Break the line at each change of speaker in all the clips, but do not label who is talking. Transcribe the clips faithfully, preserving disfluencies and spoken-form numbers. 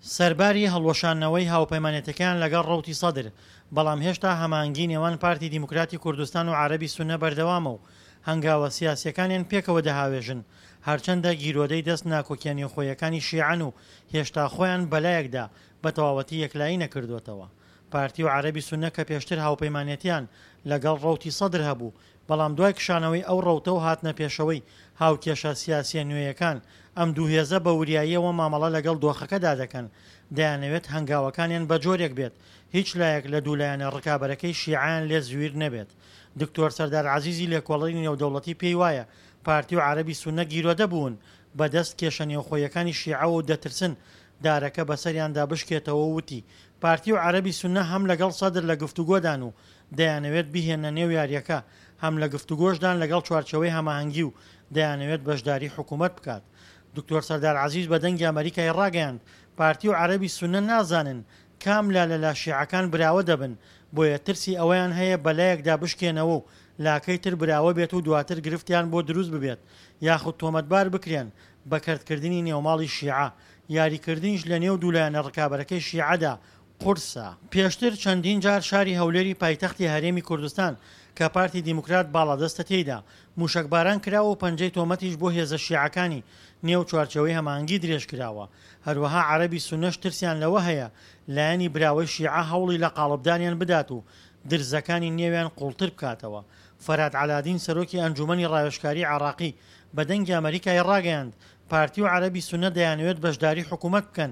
سەرباری هەڵوەشاندنەوەی هاوپەیمانێتەکەیان لەگەڵ ڕەوتی سەدر، بەڵام هێشتا هەماهەنگی نێوان پارتی دیموکراتی کوردستان و عەرەبی سوننە بەردەوامە و هەنگاوە سیاسییەکانیان پێکەوە دەهاوێژن، هەرچەندە گیرۆدەی دەست ناکۆکیە نێوخۆییەکانی شیعەن و هێشتا خۆیان بەلایەکدا بەتەواوەتی یەکلایی نەکردووەتەوە. پارتی و عەرەبی سوننە کە پێشتر هاوپەیمانێتیان لەگەڵ ڕەوتی سەدر هەبوو، بەڵام دوای کشانەوەی ئەو ڕەوتە و هاتنە پێشەوەی هاوکێشە سیاسییە نوێیەکان، ئەم دوو هێزە بە وریاییەوە مامەڵە لەگەڵ دۆخەکەدا دەکەن، دەیانەوێت هەنگاوەکانیان بە جۆرێک بێت هیچ لایەک لە دوو لایەنە ڕکابەرەکەی شیعەیان لێ زویر نەبێت. دکتۆر سەردار عەزیزی لێکۆڵەری نێودەوڵەتی پێی وایە پارتی و عەرەبی سوننە گیرۆدە بوون بە دەست کێشە نێوخۆییەکانی شیعەوە و دەترسن دارەکە بەسەریاندا بشکێتەوە و وتی پارتی و عەرەبی سوننە هەم لەگەڵ سەدر لە گفتوگۆدان و دەیانەوێت بیهێننە نێو یارییەکە، هەم لە گفتوگۆشدان لەگەڵ چوارچێوەی هەماهەنگی و دەیانەوێت بەشداری حکومەت بکات. دکتۆر سەردار عەزیز بە دەنگی ئەمەریکای ڕاگەیاند پارتی و عەرەبی سوننە نازانن کام لا لە لا شیعەکان براوە دەبن، بۆیە ترسی ئەوەیان هەیە بەلایەکدا بشکێنەوە و لاکەی تر براوە بێت و دواتر گرفتیان بۆ دروست ببێت یاخود تۆمەتبار بکرێن بە کەرتکردنی نێوماڵی شیعە، یاریکردنیش لە نێو دوو لایەنە ڕکابەرەکەی شیعەدا قورسە. پێشتر چەندین جار شاری هەولێری پایتەختی هەرێمی کوردستان کە پارتی دیموکرات باڵادەستە تێیدا، مووشەکباران کراوە و پەنجەی تۆمەتیش بۆ هێزە شیعەکانی نێو چوارچێوەی هەماهەنگی درێژکراوە. هەروەها عەرەبی سوننەش ترسیان لەوە هەیە لایەنی براوەی شیعە هەوڵی لەقاڵبدانیان بدات و درزەکانی نێویان قوڵتر بکاتەوە. فەرهاد عەلادین سەرۆکی ئەنجوومەنی ڕاوێژکاری عێراقی بە دەنگی ئەمەریکای ڕاگەیاند، پارتی و عەرەبی سوننە دەیانەوێت بەشداری حکومەت بکەن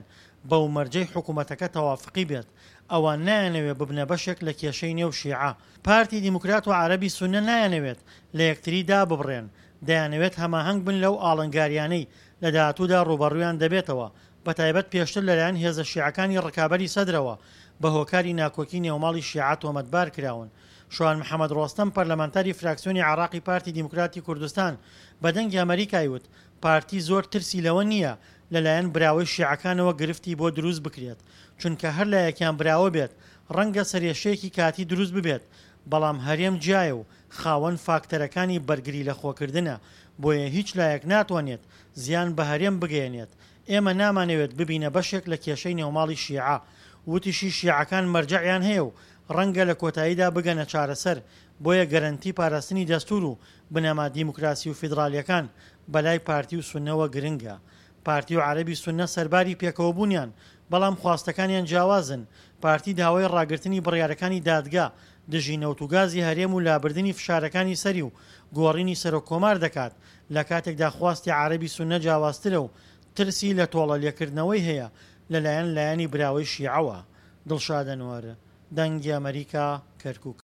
بەو مەرجەی حکومەتەکە تەوافقی بێت، ئەوان نایانەوێت ببنە بەشێک لە کێشەی نێو شیعە. پارتی دیموکرات و عەرەبی سوننە نایانەوێت لە یەکتری داببڕێن، دەیانەوێت هەماهەنگ بن لەو ئاڵنگاریانەی لە داهاتوودا ڕووبەڕوویان دەبێتەوە، بەتایبەت پێشتر لەلایەن هێزە شیعەکانی ڕکابەری سەدرەوە بە هۆکاری ناکۆکی نێوماڵی شیعە تۆمەتبار کراون. شوان محەمەد ڕۆستەم پەرلەمانتاری فراکسیۆنی عێراقی پارتی دیموکراتی کوردستان بە دەنگی ئەمەریکای وت پارتی زۆر ترسی لەوە نییە لەلایەن براوەی شیعەکانەوە گرفتی بۆ دروست بکرێت، چونکە هەر لایەکیان براوە بێت ڕەنگە سەرێشەیەکی کاتی دروست ببێت، بەڵام هەرێم جیایە و خاوەن فاکتەرەکانی بەرگری لەخۆکردنە، بۆیە هیچ لایەک ناتوانێت زیان بە هەرێم بگەیەنێت، ئێمە نامانەوێت ببینە بەشێک لە کێشەی نێوماڵی شیعە. وتیشی شیعەکان مەرجەعیان هەیە و ڕەنگە لە کۆتاییدا بگەنە چارەسەر، بۆیە گەرەنتی پاراستنی دەستور و بنەما دیموکراسی و فیدرالییەکان بەلای پارتی و سوننەوە گرنگە. پارتی و عەرەبی سوننە سەرباری پێکەوەبوونیان، بەڵام خواستەکانیان جیاوازن، پارتی داوای ڕاگرتنی بڕیارەکانی دادگا دژی نەوت و گازی هەرێم و لابردنی فشارەکانی سەری و گۆڕینی سەرۆک کۆمار دەکات، لەکاتێکدا خواستی عەرەبی سوننە جیاوازترە و ترسی لە تۆڵە لێکردنەوەی هەیە لەلایەن لایەنی براوەی شیعەوە. دڵشاد ئەنوەر، دەنگی ئەمەریکا، کەرکوک.